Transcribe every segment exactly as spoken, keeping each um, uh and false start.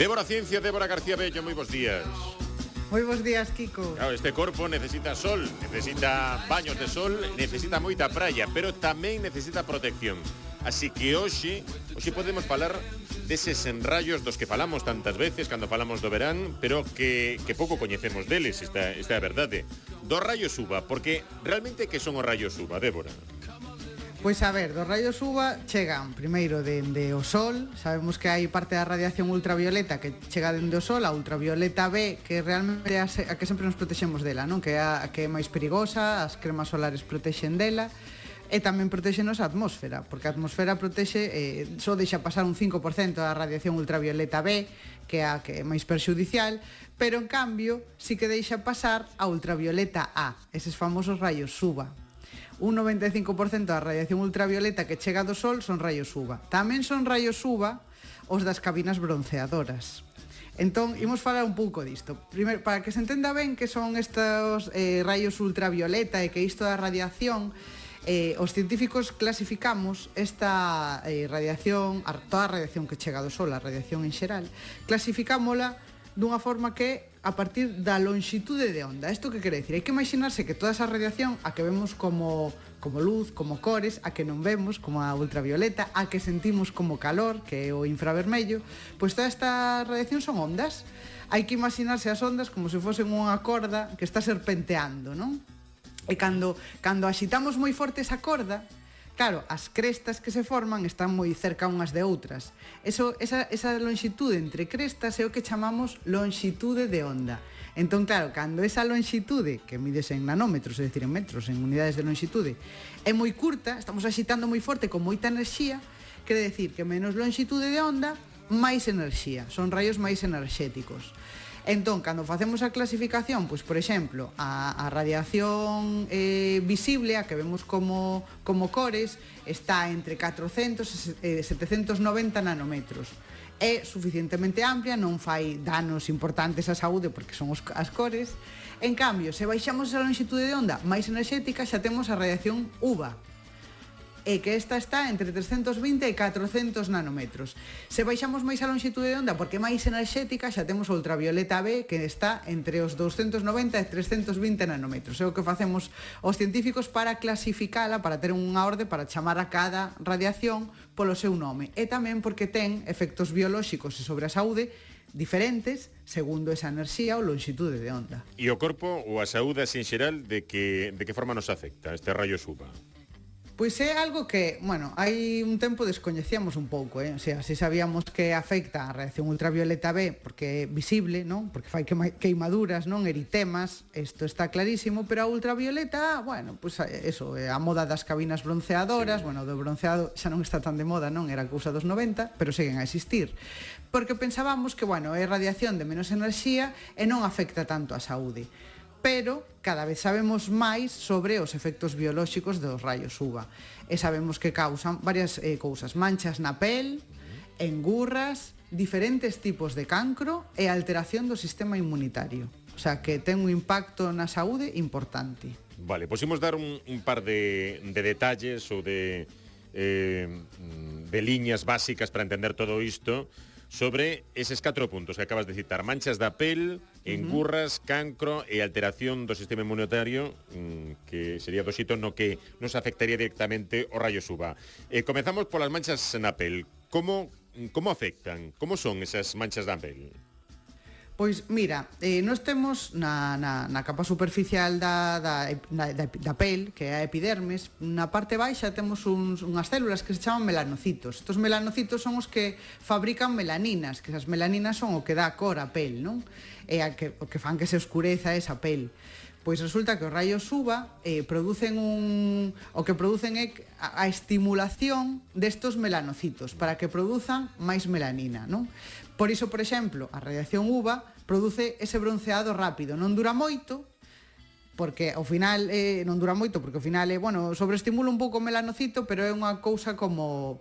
Débora Ciencia, Débora García Bello, moi bons días. Moi bons días, Kiko. Claro, este corpo necesita sol, necesita baños de sol, necesita moita praia, pero tamén necesita protección. Así que hoxe, hoxe podemos falar deses enrayos dos que falamos tantas veces cando falamos do verán, pero que, que pouco coñecemos deles, esta, esta é a verdade. Dos rayos U V A, porque realmente que son os rayos U V A, Débora? Pois a ver, dos rayos U V A chegan primeiro dende o sol. Sabemos que hai parte da radiación ultravioleta que chega dende o sol, a ultravioleta B, que realmente é a, a que sempre nos protexemos dela, non? Que é a, a que é máis perigosa, as cremas solares protexen dela, e tamén protexenos a atmósfera, porque a atmosfera protexe, eh, só deixa pasar un cinco por cento da radiación ultravioleta B, que é a que é máis perxudicial, pero en cambio sí que deixa pasar a ultravioleta A, eses famosos rayos U V A. Un noventa e cinco por cento da radiación ultravioleta que chega do sol son rayos U V A. Tamén son rayos U V A os das cabinas bronceadoras. Entón, imos falar un pouco disto. Primeiro, para que se entenda ben que son estes eh, rayos ultravioleta e que isto da radiación, eh, os científicos clasificamos esta eh, radiación, toda a radiación que chega do sol, a radiación en xeral, clasificámola dunha forma que a partir da lonxitude de onda. Isto que quere dicir? Hai que imaginarse que toda esa radiación, a que vemos como, como luz, como cores, a que non vemos, como a ultravioleta, a que sentimos como calor, que é o infravermello, pois toda esta radiación son ondas. Hai que imaginarse as ondas como se fosen unha corda que está serpenteando, non? E cando, cando axitamos moi forte esa corda, claro, as crestas que se forman están moi cerca unhas de outras. Eso, esa, esa lonxitude entre crestas é o que chamamos lonxitude de onda. Entón, claro, cando esa lonxitude, que mides en nanómetros, é dicir, en metros, en unidades de lonxitude, é moi curta, estamos axitando moi forte con moita enerxía, quere decir que menos lonxitude de onda, máis enerxía. Son rayos máis enerxéticos. Entón, cando facemos a clasificación, pois, por exemplo, a, a radiación eh, visible, a que vemos como, como cores, está entre catrocentos e setecentos noventa nanómetros. É suficientemente amplia, non fai danos importantes á saúde porque son os, as cores. En cambio, se baixamos a lonxitude de onda máis enerxética, xa temos a radiación U V A, e que esta está entre trescentos vinte e catrocentos nanómetros. Se baixamos máis a lonxitude de onda porque é máis enerxética, xa temos a ultravioleta B, que está entre os douscentos noventa e trescentos vinte nanómetros. É o que facemos os científicos para clasificala, para ter unha orde, para chamar a cada radiación polo seu nome. E tamén porque ten efectos biolóxicos e sobre a saúde diferentes segundo esa enerxía ou lonxitude de onda. E o corpo ou a saúde en xeral, de que, de que forma nos afecta este rayos U V A? Pois é algo que, bueno, hai un tempo descoñecíamos un pouco, eh? O sea, se sabíamos que afecta a radiación ultravioleta B porque é visible, non? Porque fai queimaduras, non? Eritemas, isto está clarísimo, pero a ultravioleta A, bueno, pois eso, a moda das cabinas bronceadoras, sí. Bueno, do bronceado xa non está tan de moda, non? Era cousa dos noventa, pero seguen a existir. Porque pensábamos que, bueno, é radiación de menos enerxía e non afecta tanto a saúde. Pero cada vez sabemos máis sobre os efectos biolóxicos dos rayos U V A. E sabemos que causan varias eh, cousas, manchas na pel, engurras, diferentes tipos de cancro e alteración do sistema inmunitario. O sea, que ten un impacto na saúde importante. Vale, pois imos dar un, un par de, de detalles ou de, eh, de liñas básicas para entender todo isto sobre eses catro puntos que acabas de citar: manchas da pel, engurras, cancro e alteración do sistema inmunitario, que sería do xito no que nos afectaría directamente o rayos U V A. Eh, comezamos polas manchas na pel. Como, como afectan? Como son esas manchas da pel? Pois mira, eh, nós temos na, na, na capa superficial da, da, da, da pel, que é a epidermes, na parte baixa temos uns, unhas células que se chaman melanocitos. Estos melanocitos son os que fabrican melaninas, que esas melaninas son o que dá cor á pel, non? E a que, o que fan que se oscureza esa pel. Pois resulta que os rayos U V A eh, producen un... o que producen é a, a estimulación destos melanocitos para que produzan máis melanina, non? Por iso, por exemplo, a radiación U V A produce ese bronceado rápido. Non dura moito, porque ao final eh, non dura moito, porque ao final é, bueno, sobreestimula un pouco o melanocito, pero é unha cousa como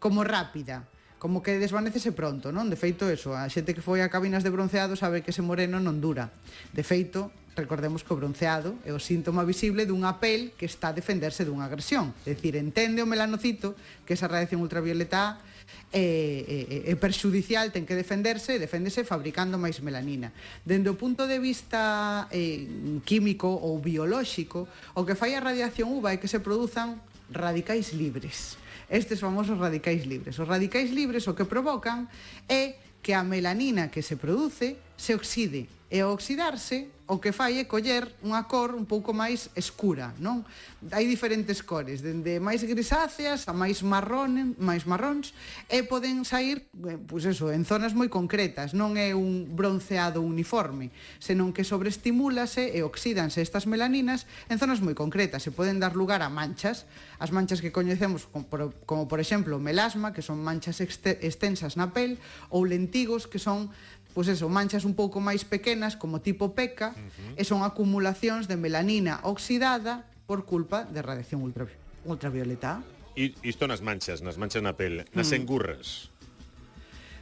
como rápida, como que desvanécese pronto, non? De feito, eso, a xente que foi a cabinas de bronceado sabe que ese moreno non dura. De feito, recordemos que o bronceado é o síntoma visible dunha pel que está a defenderse dunha agresión. É dicir, entende o melanocito que esa radiación ultravioleta A é, é, é perxudicial, ten que defenderse, e deféndese fabricando máis melanina. Dende o punto de vista eh, químico ou biolóxico, o que fai a radiación U V A é que se produzan radicais libres. Estes famosos radicais libres. Os radicais libres o que provocan é que a melanina que se produce se oxide. E ao oxidarse, o que fai é coller unha cor un pouco máis escura, non? Hai diferentes cores, dende máis grisáceas a máis marrón, máis marróns, e poden sair, pois eso, en zonas moi concretas, non é un bronceado uniforme, senón que sobreestimúlase e oxídanse estas melaninas en zonas moi concretas, e poden dar lugar a manchas, as manchas que coñecemos como por, como por exemplo melasma, que son manchas extensas na pel, ou lentigos, que son pois eso, manchas un pouco máis pequenas como tipo peca, uh-huh. e son acumulacións de melanina oxidada por culpa de radiación ultra, ultravioleta. E isto nas manchas, nas manchas na pel, nas mm. engurras.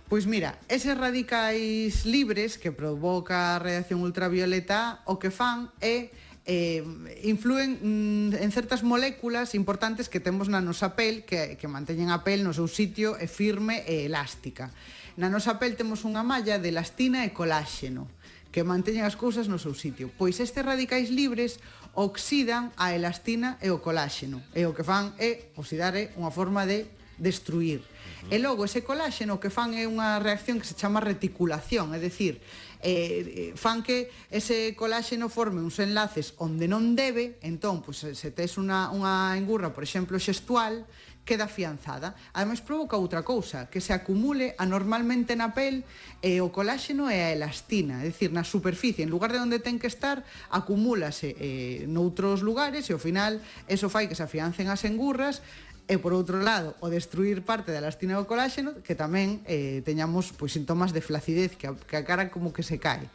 Pois mira, eses radicais libres que provoca a radiación ultravioleta o que fan é eh, influen mm, en certas moléculas importantes que temos na nosa pel que, que manteñen a pel no seu sitio e firme e elástica. Na nosa pel temos unha malla de elastina e coláxeno que manteñen as cousas no seu sitio. Pois estes radicais libres oxidan a elastina e o coláxeno, e o que fan é oxidar é unha forma de destruir. Uh-huh. E logo ese coláxeno o que fan é unha reacción que se chama reticulación, é dicir, eh, fan que ese coláxeno forme uns enlaces onde non debe, entón, pois, se tes unha, unha engurra, por exemplo, xestual, queda afianzada. Ademais provoca outra cousa, que se acumule anormalmente na pel e o coláxeno e a elastina, é dicir, na superficie, en lugar de onde ten que estar, acumúlase eh, noutros lugares e ao final eso fai que se afiancen as engurras. E por outro lado, o destruir parte da elastina e o coláxeno, que tamén eh, teñamos pois, sintomas de flacidez, que a, que a cara como que se cae.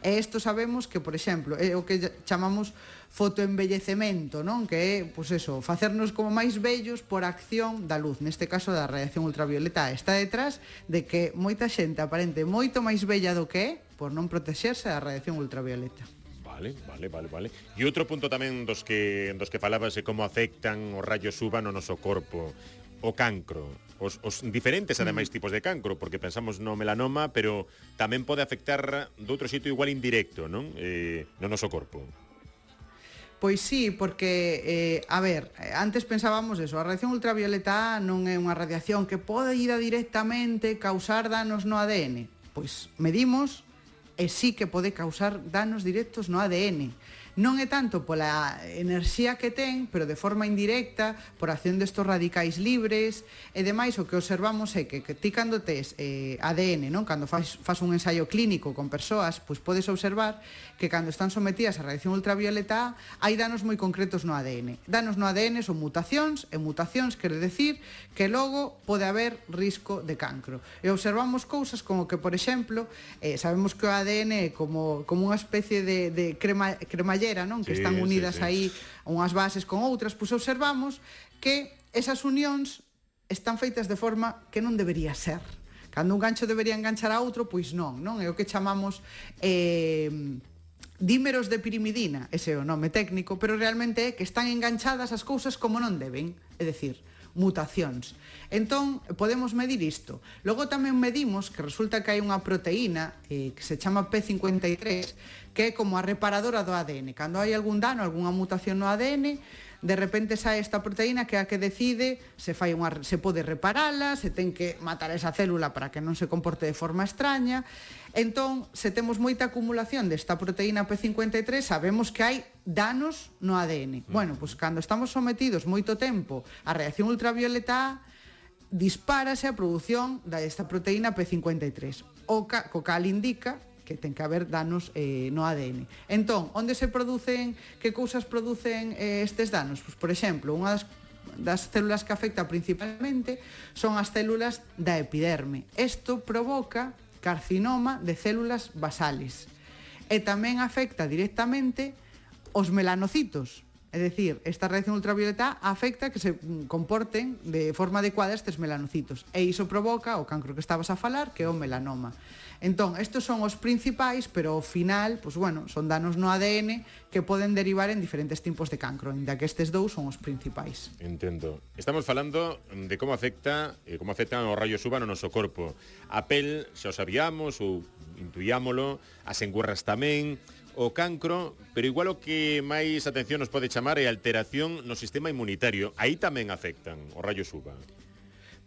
E isto sabemos que, por exemplo, é o que chamamos fotoenvellecemento, non? Que é, pois eso, facernos como máis vellos por acción da luz, neste caso da radiación ultravioleta. Está detrás de que moita xente aparente moito máis bella do que é por non protexerse da radiación ultravioleta. Vale, vale, vale, vale. E outro punto tamén dos que dos que falabas é como afectan os rayos U V A no noso corpo, o cancro. Os, os diferentes, ademais, mm. tipos de cancro, porque pensamos no melanoma, pero tamén pode afectar doutro xeito igual indirecto, non? Eh, no noso corpo. Pois sí, porque, eh, a ver, antes pensábamos eso, a radiación ultravioleta A non é unha radiación que pode ir directamente causar danos no A D N. Pois medimos e sí que pode causar danos directos no A D N. Non é tanto pola enerxía que ten, pero de forma indirecta, por acción destos radicais libres, e demais o que observamos é que, que ti cando tes eh, A D N, non? Cando faz, faz un ensaio clínico con persoas, pois podes observar que cando están sometidas a radiación ultravioleta A, hai danos moi concretos no A D N. Danos no A D N son mutacións, e mutacións quere decir que logo pode haber risco de cancro. E observamos cousas como que, por exemplo, eh, sabemos que o A D N é como, como unha especie de, de crema, cremallera, non? Que sí, están unidas sí, sí. aí unhas bases con outras, pois observamos que esas unións están feitas de forma que non debería ser. Cando un gancho debería enganchar a outro, pois non, non? É o que chamamos eh, dímeros de pirimidina, ese é o nome técnico, pero realmente é que están enganchadas as cousas como non deben, é dicir, mutacións. Entón, podemos medir isto. Logo tamén medimos que resulta que hai unha proteína eh, que se chama P cincuenta e tres, que é como a reparadora do A D N. Cando hai algún dano, algunha mutación no A D N, de repente sae esta proteína que é a que decide se fai unha, se pode reparala, se ten que matar esa célula para que non se comporte de forma extraña. Entón, se temos moita acumulación desta proteína P cincuenta e tres, sabemos que hai danos no A D N. Bueno, pois cando estamos sometidos moito tempo á radiación ultravioleta A, dispárase a produción desta proteína P cincuenta e tres. O ca, co cal indica que ten que haber danos eh, no A D N. Entón, onde se producen, que cousas producen eh, estes danos? Pois, por exemplo, unha das, das células que afecta principalmente son as células da epiderme. Isto provoca carcinoma de células basales. E tamén afecta directamente os melanocitos. É dicir, esta radiación ultravioleta afecta que se comporten de forma adecuada estes melanocitos. E iso provoca o cancro que estabas a falar, que é o melanoma. Entón, estes son os principais, pero ao final, pues, bueno, son danos no A D N que poden derivar en diferentes tipos de cancro, ainda que estes dous son os principais. Entendo. Estamos falando de como afecta, eh, como afectan os rayos U V A no noso corpo. A pel, xa o sabíamos, ou intuíámolo, as engurras tamén, o cancro, pero igual o que máis atención nos pode chamar é a alteración no sistema inmunitario. Aí tamén afectan os rayos U V A.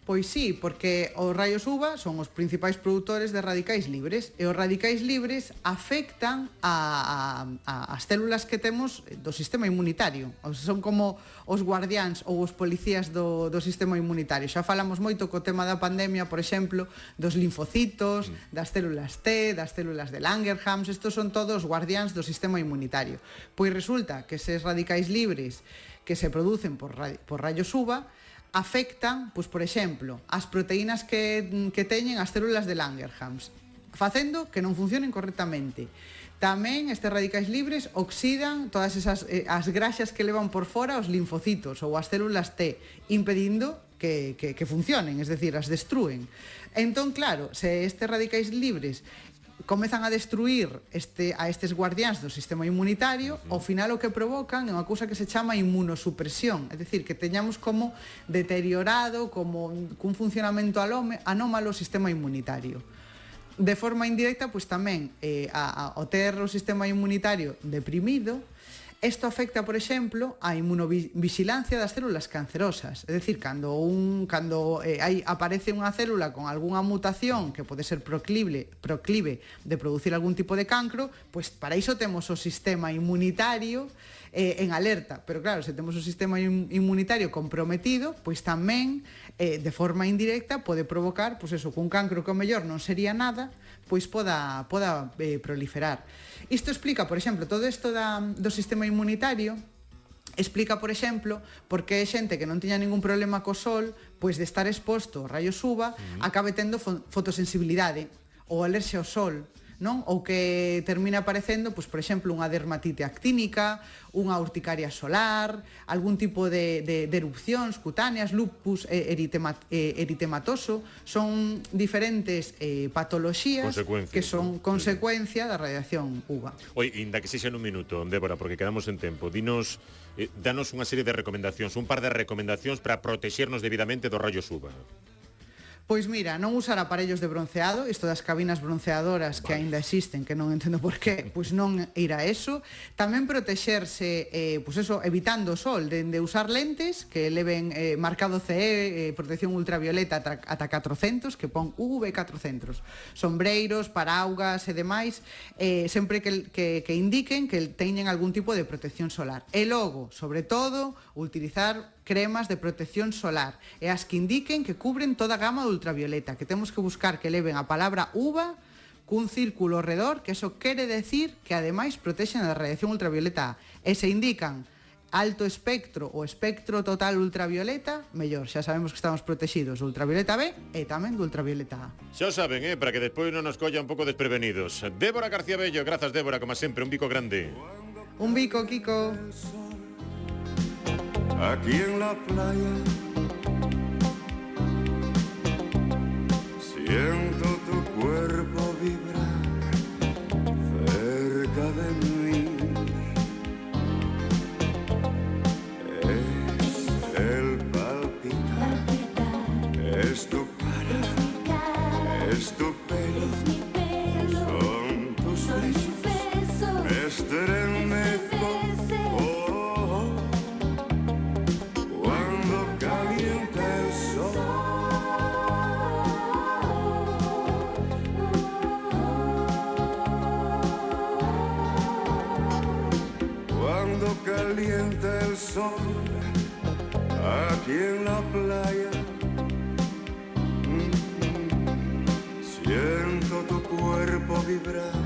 Pois sí, porque os raios U V A son os principais produtores de radicais libres e os radicais libres afectan a, a, a as células que temos do sistema inmunitario. O sea, son como os guardiáns ou os policías do, do sistema inmunitario. Xa falamos moito co tema da pandemia, por exemplo, dos linfocitos, mm. das células T, das células de Langerhans. Estos son todos guardiáns do sistema inmunitario. Pois resulta que eses radicais libres que se producen por, por rayos U V A afectan, pois, por exemplo, as proteínas que, que teñen as células de Langerhans, facendo que non funcionen correctamente. Tamén estes radicais libres oxidan todas esas eh, as graxas que levan por fora os linfocitos ou as células T, impedindo que, que, que funcionen, es decir, as destrúen. Entón, claro, se estes radicais libres comezan a destruir este, a estes guardiáns do sistema inmunitario, ao final o que provocan é unha cousa que se chama inmunosupresión, é dicir, que teñamos como deteriorado, como cun funcionamento anómalo o sistema inmunitario. De forma indirecta, pois tamén, eh, a, a, ao ter o sistema inmunitario deprimido, isto afecta, por exemplo, a inmunovigilancia das células cancerosas. É dicir, cando, un, cando eh, hai, aparece unha célula con algunha mutación que pode ser proclive, proclive de producir algún tipo de cancro, pois para iso temos o sistema inmunitario eh, en alerta. Pero claro, se temos o sistema inmunitario comprometido, pois tamén, eh, de forma indirecta, pode provocar, pois eso, que un cancro que ao mellor non sería nada, pois poda, poda eh, proliferar. Isto explica, por exemplo, todo isto da, do sistema inmunitario, explica, por exemplo, porque é xente que non tiña ningún problema co sol, pois de estar exposto aos rayos U V A, uh-huh. acabe tendo fotosensibilidade ou alerxia ao sol, non? Ou que termina aparecendo, pois, por exemplo, unha dermatite actínica, unha urticaria solar, algún tipo de, de, de erupcións cutáneas, lupus eritema, eritematoso, son diferentes eh, patoloxías que son consecuencia da radiación U V A. Oi, inda que sexa nun minuto, Débora, porque quedamos en tempo, dinos, eh, danos unha serie de recomendacións, un par de recomendacións para protexernos debidamente dos rayos U V A. Pois mira, non usar aparellos de bronceado, isto das cabinas bronceadoras que vale. Aínda existen, que non entendo por qué, pois non ir a eso. Tamén protexerse, eh, pois eso, evitando o sol, de, de usar lentes que leven eh, marcado C E, eh, protección ultravioleta ata catrocentos, que pon U V catrocentos. Sombreiros, paraugas e demais, eh, sempre que, que, que indiquen que teñen algún tipo de protección solar. E logo, sobre todo, utilizar cremas de protección solar e as que indiquen que cubren toda a gama de ultravioleta, que temos que buscar que leven a palabra U V A cun círculo ao redor, que eso quere decir que ademais protexen da radiación ultravioleta A. E se indican alto espectro ou espectro total ultravioleta, mellor, xa sabemos que estamos protegidos do ultravioleta B e tamén do ultravioleta A. Xa saben, eh, para que despois non nos colla un pouco desprevenidos. Débora García Bello, grazas, Débora, como sempre, un bico grande. Un bico, Kiko. Aquí en la playa siento tu cuerpo vibrar cerca de mí. Es el palpitar, es tu cara, es tu pelo, son tus besos, me estremezco. Calienta el sol aquí en la playa. Mm-hmm. Siento tu cuerpo vibrar